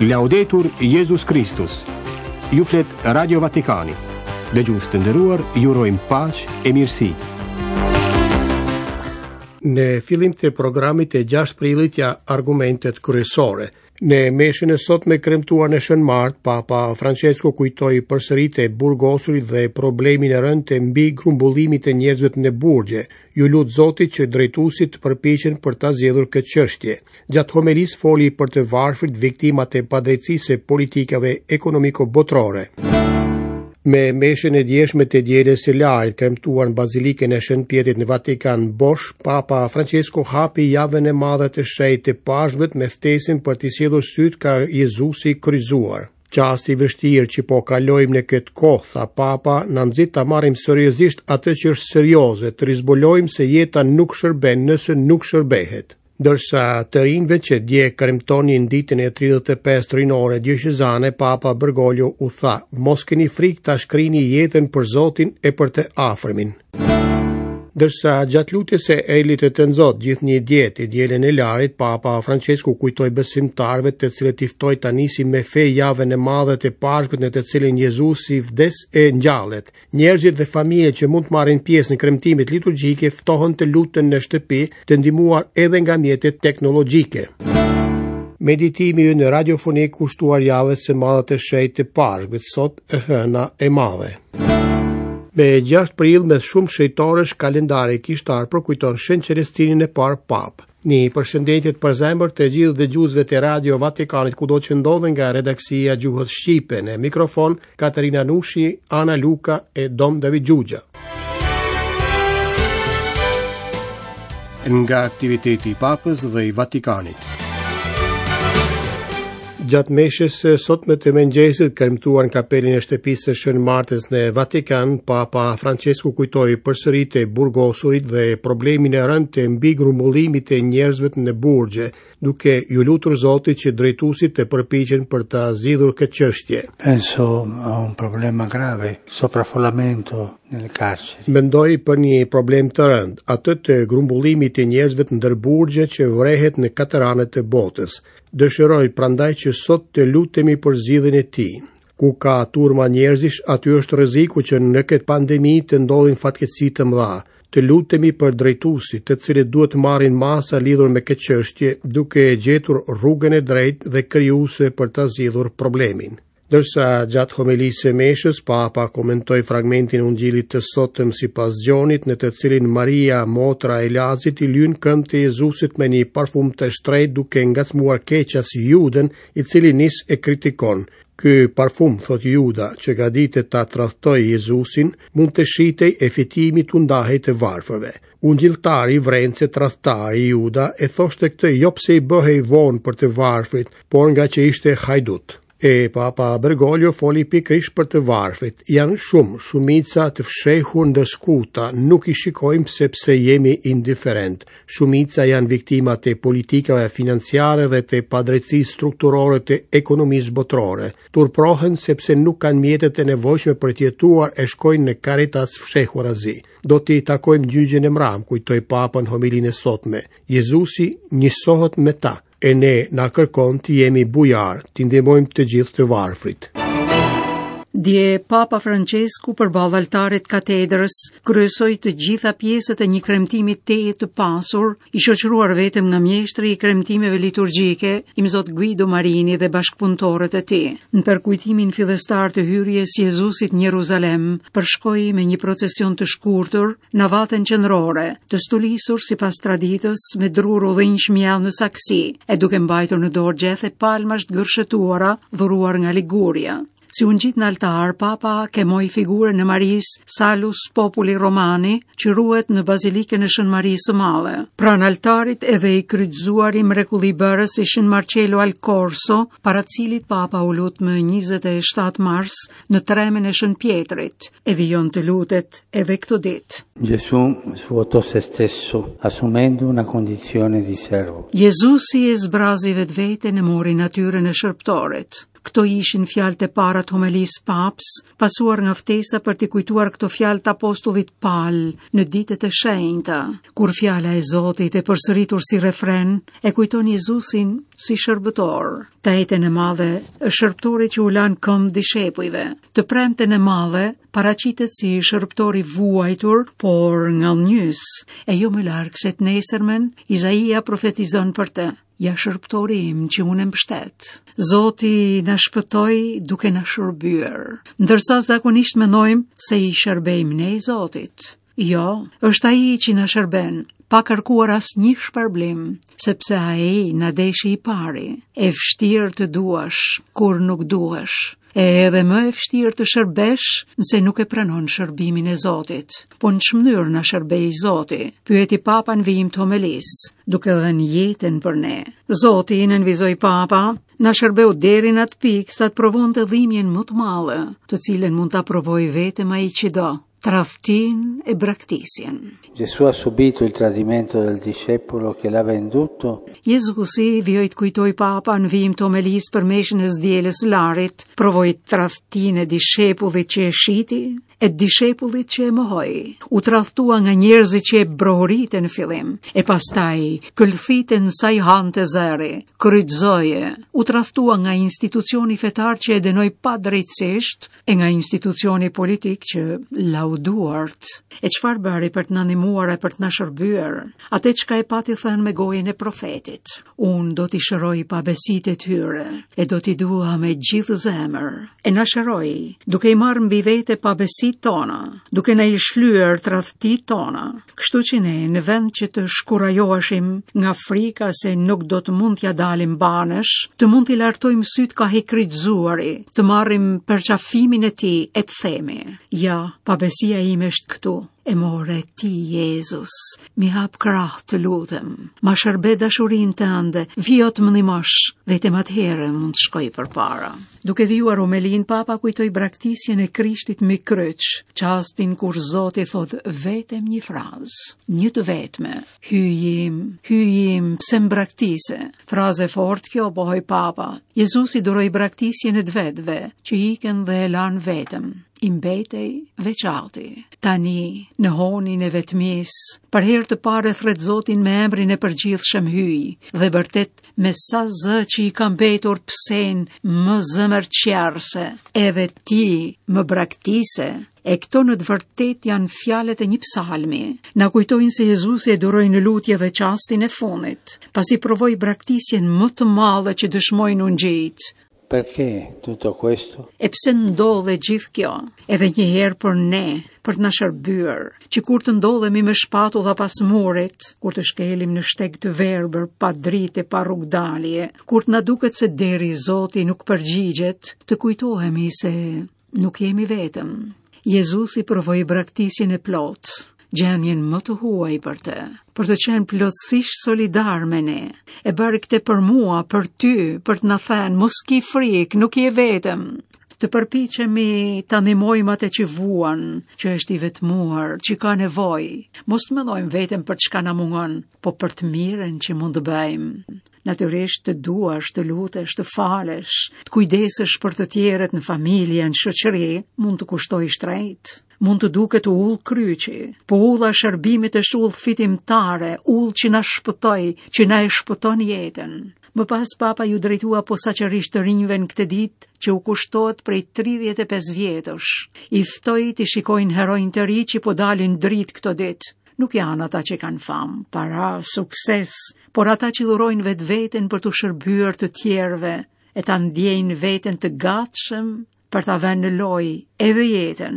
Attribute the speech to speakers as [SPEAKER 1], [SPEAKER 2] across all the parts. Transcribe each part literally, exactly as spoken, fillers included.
[SPEAKER 1] Laudetur Jezus Kristus. Ju flet Radio Vatikani. Dëgjues të nderuar, ju urojmë paqe e mirësi.
[SPEAKER 2] Në fillim të programit të gjashtë prillit ja argumentet kryesore. Në meshën e sotme kremtuar në Shën Mart, Papa Francesco kujtoi përsëri të burgosurit dhe problemin e rëndë të mbi grumbullimit të njerëzve në burgje. Ju lut Zotit që drejtuesit të përpiqen për ta zgjedhur këtë çështje. Gjatë homelisë foli për të varfrit, viktimat e padrejtësisë së politikave ekonomiko-botërore. Me meshën e djeshme të dielës së Larit, kremtuar në Bazilikën e Shën Pjetrit në Vatikan bosh, Papa Francesco hapi javën e madhe të shenjtë të Pashkëve me ftesën për t'i sjellur sytë ka Jezusi i kryqëzuar. Çasti i vështirë që po kalojmë në këtë kohë, tha Papa, na nxit ta marrim seriozisht atë që është serioze, të rizbulojmë se jeta nuk shërben nëse nuk shërbehet. Ndërsa të rinjve që dje kremtonin ditën e tridhjetë e pesë rinore dioqezane, Papa Bergoglio u tha: mos keni frikë ta shkrini jetën për Zotin e për të afërmin. Ndërsa gjatë lutjes së Elit të Tënzot, gjithnjë dje të dielën e Larit, Papa Francesco kujtoi besimtarëve të cilët i ftoi ta nisin me fe javën e madhe të Pashkës në të cilën Jezusi vdes e ngjallet. Njerëzit dhe familjet që mund të marrin pjesë në kremtimet liturgjike ftohen të luten në shtëpi, të ndihmuar edhe nga mjetet teknologjike. Meditimi ynë radiofonik kushtuar javës së madhe të shenjtë të Pashkës, sot e hëna e madhe. Me gjashtë prill me shumë shejtorësh kalendari kishtar përkujton Shën Celestinin e parë Papë. Një përshëndetje të përzemër të gjithë dëgjuesve të Radio Vatikanit kudo që ndodhen nga redaksia Gjuhës Shqipe. Në mikrofon Katerina Nushi, Ana Luka e Dom David Gjugja.
[SPEAKER 1] Nga aktiviteti i Papës dhe i Vatikanit.
[SPEAKER 2] Gjatë meshës së sotme të mëngjesit, kremtuar në kapelin e shtëpisë së Shën Martës në Vatikan, Papa Francesco kujtoi përsëri të burgosurit dhe problemin e rëndë të mbigrumullimit të njerëzve në burgje, duke ju lutur Zotit që drejtuesit të përpiqen për ta zgjidhur këtë çështje.
[SPEAKER 3] Penso a un problema grave, sovraffollamento nelle carceri.
[SPEAKER 2] Mendoj për një problem të rëndë, atë të grumbullimit të njerëzve ndër burgje që vrehet në katër anët e botës. Dëshiroj prandaj që sot të lutemi për zgjidhjen e tij. Ku ka turma njerëzish, aty është rreziku që në këtë pandemi të ndodhin fatkeqësi të mëdha. Të lutemi për drejtuesit, të cilët duhet të marrin masa lidhur me këtë çështje, duke gjetur rrugën e drejtë dhe krijuese për ta zgjidhur problemin. Ndërsa gjatë homelisë së meshës, Papa komentoi fragmentin e Ungjillit të sotëm sipas Gjonit, në të cilin Maria, motra e Lazit, i lyen këmbët e Jezusit me një parfum të shtrenjtë duke ngacmuar keqas Judën, i cili nis e kritikon. Ky parfum, thot Juda, që gatitet ta tradhtoj Jezusin, mund të shitej e fitimi t'u ndahej të varfërve. Ungjilltari vren se tradhtari Juda e thoshte këtë jo pse i bëhej vonë për të varfrit, por nga që ishte hajdut. E Papa Bergoglio foli pikërisht për të varfrit. Janë shumë, shumica të fshehur ndër skuta, nuk i shikojmë sepse jemi indiferent. Shumica janë viktimat e politikave financiare dhe të padrejtësisë strukturore të ekonomisë botërore. Turprohen sepse nuk kanë mjetet e nevojshme për të jetuar e shkojnë në Caritas fshehurazi. Do t'i takojmë gjyqin e mram, kujtoi Papa në homilinë e sotme. Jezusi njësohet me ta, e ne na kërkon të jemi bujar, të ndihmojmë të gjithë të varfrit.
[SPEAKER 4] Dje Papa Francesku përballë altarit katedrës kryesoi të gjitha pjesët e një kremtimi tejet të pasur, i shoqëruar vetëm nga mjeshtri i kremtimeve liturgjike, Imzot Guido Marini dhe bashkëpunëtorët e tij. Në përkujtimin fillestar të hyrjes Jezusit në Jeruzalem, përshkoi me një procesion të shkurtër navaten qendrore, të stulisur sipas traditës me drur udhinjsh mjell në saksi, e duke mbajtur në dorë gjethe palmash të gërshetuara dhuruar nga Liguria. Si u ngjit në altar, Papa kemoi figurën e Marisë Salus Populi Romani, që ruhet në Bazilikën e Shën Marisë së Madhe. Pranë altarit edhe i kryqëzuari mrekullibërës i Shën Marcello al Corso, para cilit Papa u lut më njëzet e shtatë mars në tremen e Shën Pjetrit, e vijon të lutet edhe këto ditë.
[SPEAKER 3] Gesù svuotò se stesso, assumendo una condizione di servo.
[SPEAKER 4] Jezusi e zbrazi vetveten e mori natyrën e shërbëtorit. Këto ishin fjalët e para të homelisë papës, pasuar nga ftesa për t'i kujtuar këto fjalë të apostullit Pal në ditët e shenjta, kur fjala e Zotit e përsëritur si refren e kujton Jezusin si shërbëtor. Të enjten e madhe është shërbëtori që u lan këmbë dishepujve. Të premten e madhe paraqitet si shërbëtor i vuajtur, por ngadhnjys, e jo më larg se të nesërmen, Izaia profetizon për të. Ja shërbëtori im që unë e mbështet. Zoti na shpëtoi duke na shërbyer, ndërsa zakonisht mendojmë se i shërbejmë ne Zotit. Jo, është ai që na shërben, pa kërkuar asnjë shpërblim, sepse ai na deshi i pari. E vështirë të duash kur nuk duhesh, e edhe më e vështirë të shërbesh nëse nuk e pranon shërbimin e Zotit. Po në ç'mënyrë na shërbej Zoti? Pyeti Papa në vijim të homelisë, duke dhënë jetën për ne. Zoti, nënvizoi Papa, na shërbeu deri në atë pikë sa të provonte dhimbjen më të madhe, të cilën mund ta provojë vetëm ai që do, tradhtinë e braktisjen.
[SPEAKER 3] Gesù ha subito il tradimento del discepolo che l'ha venduto.
[SPEAKER 4] Jezusi vijoi të kujtoj Papa në vijim të homelisë për meshën e së dielës Larit, provoi tradhtinë e dishepullit që e shiti, e dishepullit që e mohoi. U tradhtua nga njerëzit që e brohoritën në fillim, e pastaj këlthitën sa i hante zëri, kryqëzoje. U tradhtua nga institucioni fetar që e dënoi padrejtësisht, e nga institucioni politik që lau duart. E çfarë bëri për të na ndihmuar e për të na shërbyer? Atë çka e pati thënë me gojën e profetit. Unë do t'i shëroj pabesitë e tyre, e do t'i dua me gjithë zemër. E na shëroi, duke i marrë mbi vete pabesitë tona, duke na i shlyer tradhtitë tona. Kështu që ne, në vend që të shkurajoheshim nga frika se nuk do të mund t'ja dalim banesh, të mund t'i lartojmë sytë ka i kryqëzuari, të marrim përqafimin e tij e të themi: ja, pabesia ime është këtu, e more ti, Jezus, mi hap krah të lutem, ma shërbe dashurinë tënde, vijo të më ndihmosh, vetëm atëherë mund të shkoj përpara. Duke vijuar homelin, Papa kujtoi braktisjen e Krishtit mbi kryq, çastin kur Zoti thot vetëm një frazë, një të vetme: Hyji im, hyji im, pse më braktise? Frazë e fortë kjo, pohoi Papa. Jezusi duroi braktisjen e të vetëve, që ikën dhe e lanë vetëm. I mbetej veç ati. Tani, në honin e vetmisë, për herë të parë e thret Zotin me emrin e përgjithshëm hyj, dhe vërtet me sa zë që i ka mbetur psen më zemërqerse, edhe ti më braktise. E këto në të vërtet janë fjalët e një psalmi. Na kujtojnë se Jezusi e duroi në lutje dhe çastin e fundit, pasi provoi braktisjen më të madhe që dëshmojnë ungjijt.
[SPEAKER 3] Perché tutto questo?
[SPEAKER 4] E pse ndodhe gjithë kjo? Edhe një herë për ne, për të na shërbyer, që kur të ndodhemi me shpatulla pas murit, kur të shkelim në shteg të verbër, pa dritë e pa rrugdalje, kur të na duket se deri Zoti nuk përgjigjet, të kujtohemi se nuk jemi vetëm. Jezusi provoi braktisjen e plotë, gjendjen më të huaj për të, për të qenë plotësisht solidar me ne. E bëri këtë për mua, për ty, për të na thënë, mos ki frikë, nuk je vetëm. Të përpiqemi ta ndihmojmë atë që vuan, që është i vetmuar, që ka nevojë. Mos të mendojmë vetëm për çka na mungon, po për të mirën që mund të bëjmë. Natyrisht të duash, të lutesh, të falesh, të kujdesesh për të tjerët në familje, në shoqëri, mund të kushtojë shtrenjtë. Mund të duket ullë kryqi, po ulla e shërbimit është ullë fitimtare, ullë që na shpëtoi, që na e shpëton jetën. Më pas Papa ju drejtua posaçërisht të rinjve në këtë ditë që u kushtohet prej tridhjetë e pesë vjetësh. I ftoi të shikojnë heronj të ri që po dalin dritë këto ditë. Nuk janë ata që kanë famë, para, sukses, por ata që dhurojnë vetveten për t'u shërbyer të tjerëve e ta ndjejnë veten të gatshëm për ta vënë në lojë edhe jetën,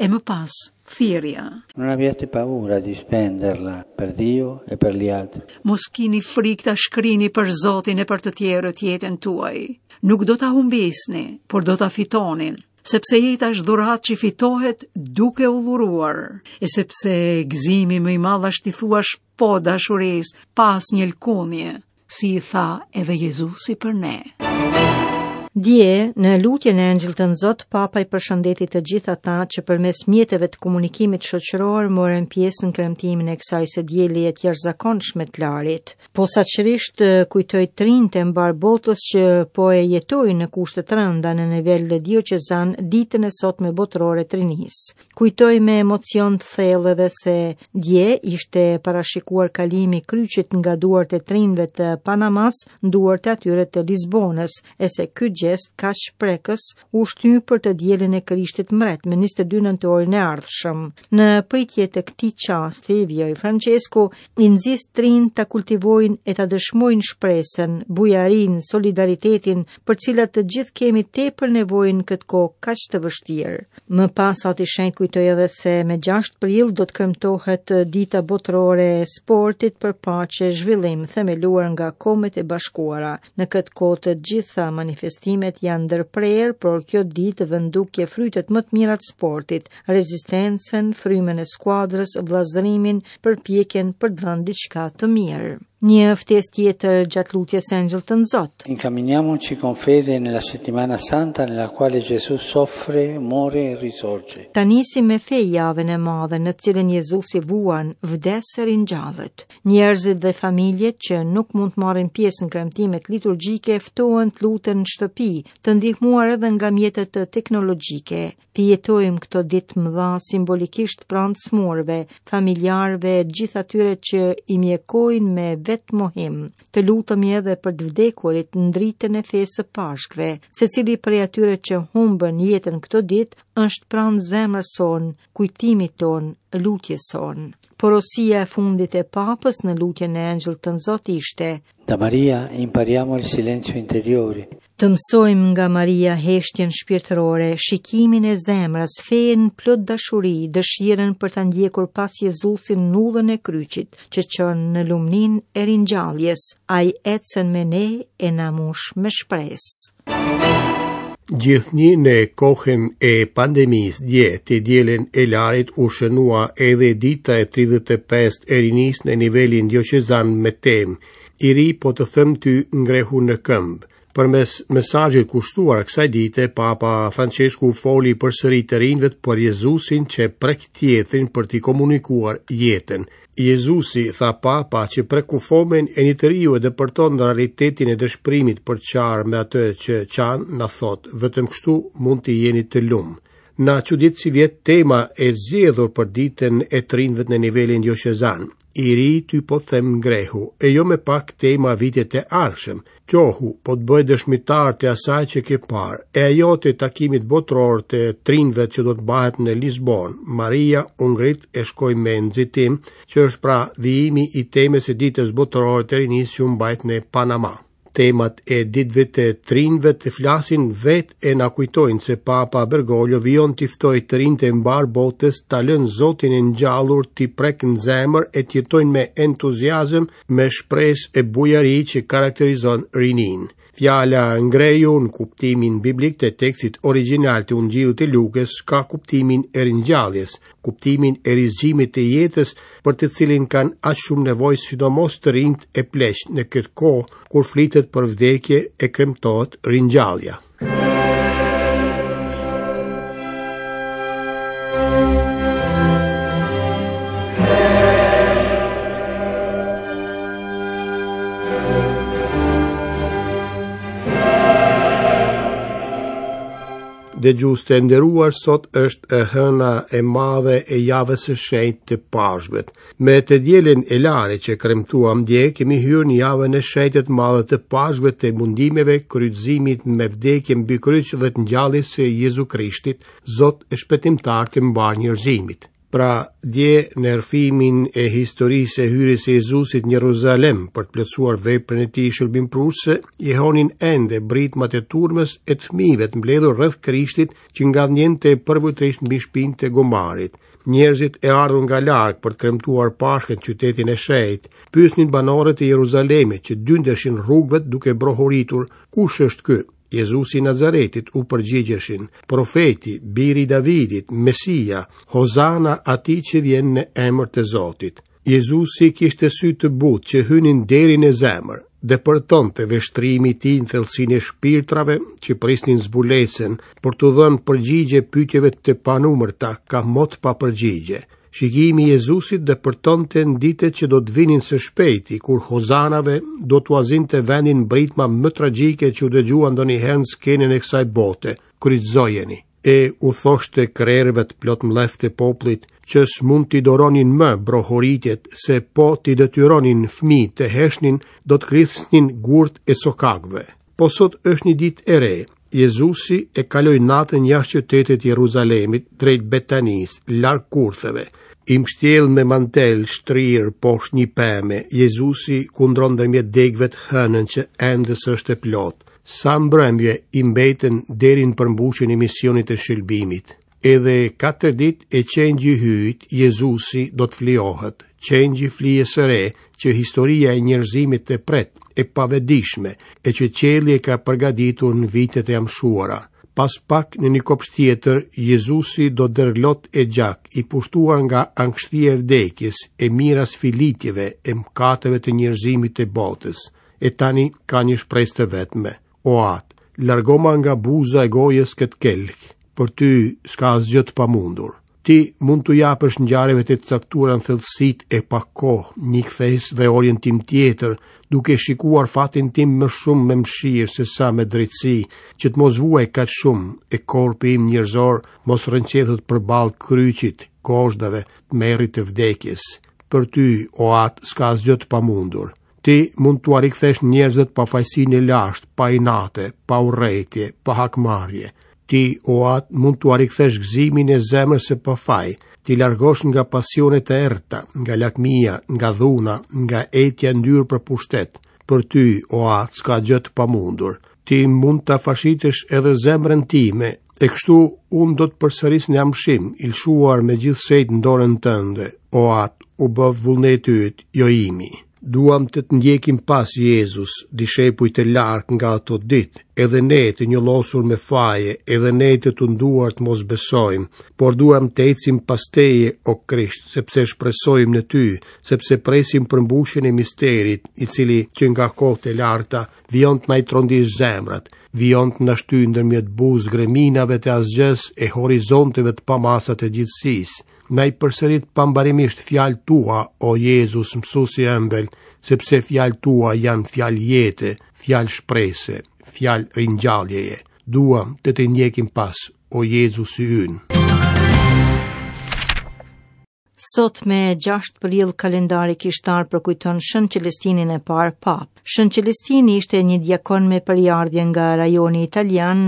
[SPEAKER 4] e më pas thirrja.
[SPEAKER 3] Non abbiate paura di spenderla per Dio e per gli altri.
[SPEAKER 4] Mos kini frikë ta shkrini për Zotin e për të tjerët jetën tuaj. Nuk do ta humbisni, por do ta fitoni, sepse jeta është dhuratë që fitohet duke u dhuruar, e sepse gëzimi më i madh është t'i thuash po dashurisë, pa asnjë lëkundje, si i tha edhe Jezusi për ne.
[SPEAKER 5] Dje, në lutjen e Engjëllit Tënzot, Papa i përshëndeti të gjithë ata që përmes mjeteve të komunikimit shoqëror morën pjesë në kremtimin e kësaj së dielje të jashtëzakonshme të Larit. Posaçërisht kujtoi të rinjtë e mbar botës që po e jetojnë në kushte të rënda në nivel dioqezan ditën e sotme botërore të rinisë. Kujtoi me emocion të thellë edhe se dje ishte parashikuar kalimi i kryqit nga duart e të rinjve të Panamas në duart e atyre të Lisbonës, e se ky gjest kaq prekës u shty për të dielën e Krishtit Mbret me njëzet e dy nëntorin e ardhshëm. Në pritje të këtij çasti, vijoi Francesku, i nxis të rinjtë ta kultivojnë e ta dëshmojnë shpresën, bujarinë, solidaritetin, për cilat të gjithë kemi tepër nevojë në këtë kohë kaq të vështirë. Më pas Ati Shenjt kujtoi edhe se me gjashtë prill do të kremtohet Dita Botërore e Sportit për Paqe e Zhvillim, themeluar nga Kombet e Bashkuara. Në këtë kohë të gjitha manifestimet janë ndërprerë, por kjo ditë vë në dukje frytet më të mira të sportit, rezistencën, frymën e skuadrës, vëllazërimin, përpjekjen për të dhënë diçka të mirë. Një ftesë tjetër gjatë lutjes së Engjëllit Tënzot.
[SPEAKER 3] Incamminiamoci con fede nella settimana santa nella quale Gesù soffre, muore e risorge.
[SPEAKER 5] Ta nisim me fe javën e madhe në të cilën Jezusi vuan, vdes e ringjallet. Njerëzit dhe familjet që nuk mund të marrin pjesë në kremtimet liturgjike ftohen të luten në shtëpi, të ndihmuar edhe nga mjetet teknologjike. Të jetojmë këto ditë mëdha simbolikisht pranë smurve, familjarëve e gjithë atyre që i mjekojnë me vetmohim. Të lutemi edhe për të vdekurit në dritën e fesë së Pashkëve. Secili prej atyre që humbën jetën këto ditë është pranë zemrës sonë, kujtimit tonë, lutjes sonë. Porosia e fundit e Papës në lutjen e Engjëllit Tënzot ishte:
[SPEAKER 3] Da Maria impariamo il silenzio interiore.
[SPEAKER 5] Të mësojmë nga Maria heshtjen shpirtërore, shikimin e zemrës, fenë plot dashuri, dëshirën për ta ndjekur pas Jezusin në udhën e kryqit, që çon në lumninë e ringjalljes. Ai ecën me ne e na mush me shpresë.
[SPEAKER 2] Gjithnjë në kohën e pandemisë dje, të dielën e Larit u shënua edhe dita e tridhjetë e pestë e rinisë në nivelin dioqezan me temë I ri po të them ty ngrehu në këmbë. Përmes mesazhit kushtuar kësaj dite, Papa Francesku foli përsëri të rinjve për Jezusin që prek tjetrin për t'i komunikuar jetën. Jezusi, tha Papa, që prek kufomën e një të riu e depërton në realitetin e dëshpërimit për qarë me atë që qan, na thot, vetëm kështu mund të jeni të lumë. Na çudit si vjet tema e zgjedhur për ditën e të rinjve në nivelin dioqezan. I ri ty po them ngrehu, e jo me pak tema vitet e ardhshëm. Qohu, po të bëj dëshmitar të asaj që ke parë, e ajo të takimit botëror të trinjve që do të bahet në Lisbon. Maria u ngrit e shkoi me nxitim, që është pra vijimi i temës së ditës botërore të rinisë që u mbajt në Panama. Temat e ditëve të trinjve të flasin vetë e na kujtojnë se Papa Bergoglio vijon t'i ftojë të rinjtë e mbar botës ta lënë Zotin e ngjallur t'i prek në zemër e të jetojnë me entuziazëm, me shpresë e bujari që karakterizon rinin. Fjala ngreju në kuptimin biblik të tekstit origjinal të Ungjillit të Lukës ka kuptimin e ringjalljes, kuptimin e rizgjimit të jetës për të cilin kanë aq shumë nevojë sidomos të rinjtë e pleqtë në këtë kohë kur flitet për vdekje e kremtohet ringjallja. Dëgjues të nderuar, sot është e hëna e madhe e javës së shenjtë të Pashkëve. Me të dielën e Larit që kremtuam dje, kemi hyrë në javën e shenjtë të madhe të Pashkëve, të mundimeve, kryqëzimit me vdekje mbi kryq dhe të ngjalljes së Jezu Krishtit, Zot e shpëtimtar të mbar njerëzimit. Pra, dje në rrëfimin e historisë së hyrjes së Jezusit në Jeruzalem për të plotësuar veprën e tij shërbimprurëse, jehonin ende britmat e turmës e të fëmijëve të mbledhur rreth Krishtit që ngadhnjente përvujtërisht mbi shpinë të gomarit. Njerëzit e ardhur nga larg për të kremtuar Pashkën në qytetin e shenjtë, pyesnin banorët e Jeruzalemit që dyndeshin rrugëve duke brohoritur, kush është ky? Jezusi i Nazaretit, u përgjigjeshin, profeti, biri i Davidit, Mesia, Hozana atij që vjen në emër të Zotit. Jezusi kishte sy të butë që hynin deri në zemër. Depërtonte vështrimi i tij në thellësinë e shpirtrave që prisnin zbulesën për t'u dhënë përgjigje pyetjeve të panumërta, ka mot pa përgjigje. Shikimi i Jezusit depërtonte në ditët që do të vinin së shpejti, kur hozanave do t'ua zinte vendin britma më tragjike që u dëgjua ndonjëherë në skenën e kësaj bote, kryqëzojeni. E u thoshte krerëve të plot mllef të popullit që s'mund t'i doronin më brohoritjet, se po t'i detyronin fëmijët të heshnin, do të klithnin gurt e sokakëve. Po sot është një ditë e re. Jezusi e kaloi natën jashtë qytetit të Jeruzalemit, drejt Betanisë, larg kurtheve. I mbështjell me mantel shtrirë poshtë një peme, Jezusi kundron ndërmjet degëve të hënën që ende s'është e plotë. Sa mbrëmje i mbetën deri në përmbushjen e misionit të shëlbimit. Edhe katër ditë e qengji hyjt, Jezusi do të flijohet, qengji flijës së re që historia e njerëzimit të pret, e pavedishme, e që qielli e ka përgatitur në vitet e amshuara. Pas pak në një kopsht tjetër, Jezusi do dërlot e gjak, i pushtuar nga ankshtia e vdekjes, e mira sfilitjeve, e mkateve të njerëzimit të botës. E tani ka një shpresë të vetme. O Atë, largoma nga buza e gojës këtë kelk, për ty s'ka asgjë të pamundur. Ti mund t'u japësh ngjarjeve të caktuara në thellësitë e pakohë, një kthesë dhe orientim tjetër, duke shikuar fatin tim më shumë me mëshirë se sa me drejtësi, që të mos vuaj kaq shumë e korpi im njerëzor mos rrënqethet përballë kryqit, gozhdave, tmerrit të vdekjes. Për ty, o Atë, s'ka asgjë të pamundur. Ti mund t'ua rikthesh njerëzit pa fajsinë e lashtë, pa inate, pa urrejtje, pa hakmarrje. Ti, o Atë, mund t'ua rikthesh gëzimin e zemrës së pafaj, ti largosh nga pasionet e errëta, nga lakmia, nga dhuna, nga etja ndyrë për pushtet. Për ty, o Atë, s'ka gjë të pamundur. Ti mund ta fashitësh edhe zemrën time, e kështu unë do të përsëris në amshim, i lëshuar me gjithsejt në dorën tënde. O Atë, u bëf vullneti yt, jo imi. Duam të të ndjekim pas Jezus, dishepuj të lartë nga ato ditë, edhe ne të njollosur me faje, edhe ne të tunduar të mos besojmë, por duam të ecim pas teje, o Krisht, sepse shpresojmë në ty, sepse presim përmbushjen e misterit, i cili që nga kohët e larta vijon të na i trondisë zemrat, vijon të na shtyjë ndërmjet buzë greminave të asgjës e horizonteve të pamasa të gjithësisë. Na i përsërit pambarimisht fjalë tua, o Jezus, mësuesi i ëmbël, sepse fjalë tua janë fjalë jete, fjalë shprese, fjalë ringjalljeje. Duam të të ndjekim pas, o Jezusi ynë.
[SPEAKER 5] Sot me gjashtë prill kalendari kishtar përkujton Shën Celestinin e parë pap. Shën Celestini ishte një diakon me prejardhje nga rajoni italian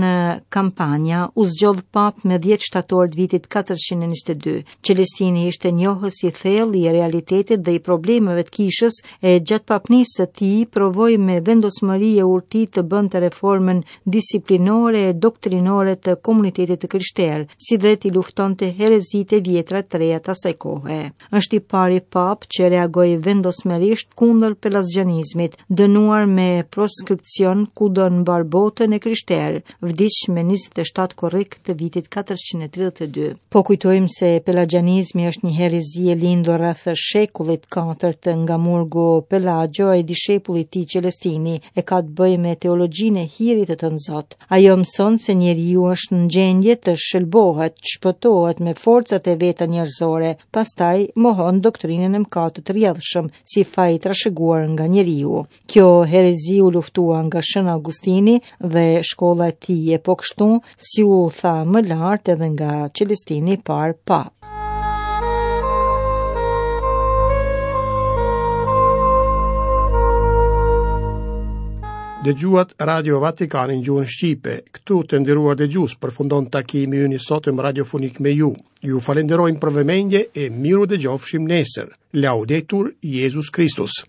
[SPEAKER 5] Campania, u zgjodh pap me dhjetë shtator të vitit katërqind e njëzet e dy. Celestini ishte njohës i thellë i realitetit dhe i problemeve të kishës, e gjatë papnisë së tij provoi me vendosmëri e urti të bënte reformën disiplinore e doktrinore të komunitetit të krishterë, si dhe t'i luftonte herezitë e vjetra të reja të asaj kohe. Është i pari pap që reagoi vendosmërisht kundër pelazgjanizmit, dënuar me proskripcion kudo në mbar botën e krishterë, vdiq me njëzet e shtatë korrik të vitit katërqind e tridhjetë e dy. Po kujtojmë se pelagjanizmi është një herezi e lindur rreth shekullit katërt nga murgu Pelagio e dishepulli i tij Celestini, e ka të bëjë me teologjinë e hirit të Tënzot. Ajo mëson se njeriu është në gjendje të shëlbohet, të shpëtohet me forcat e veta njerëzore, pastaj mohon doktrinën e mëkatit të rrjedhshëm si faj i trashëguar nga njeriu. Kjo herezi u luftua nga Shën Augustini dhe shkolla e tij, e po kështu si u tha më lart edhe nga Celestini i parë pap.
[SPEAKER 2] Dëgjuat Radio Vatikanin gjuhën shqipe. Këtu të nderuar dëgjues përfundon takimi ynë i sotëm radiofonik me ju. Ju falenderojmë për vëmendje e miru dëgjofshim nesër. Laudetur Jezus Kristus.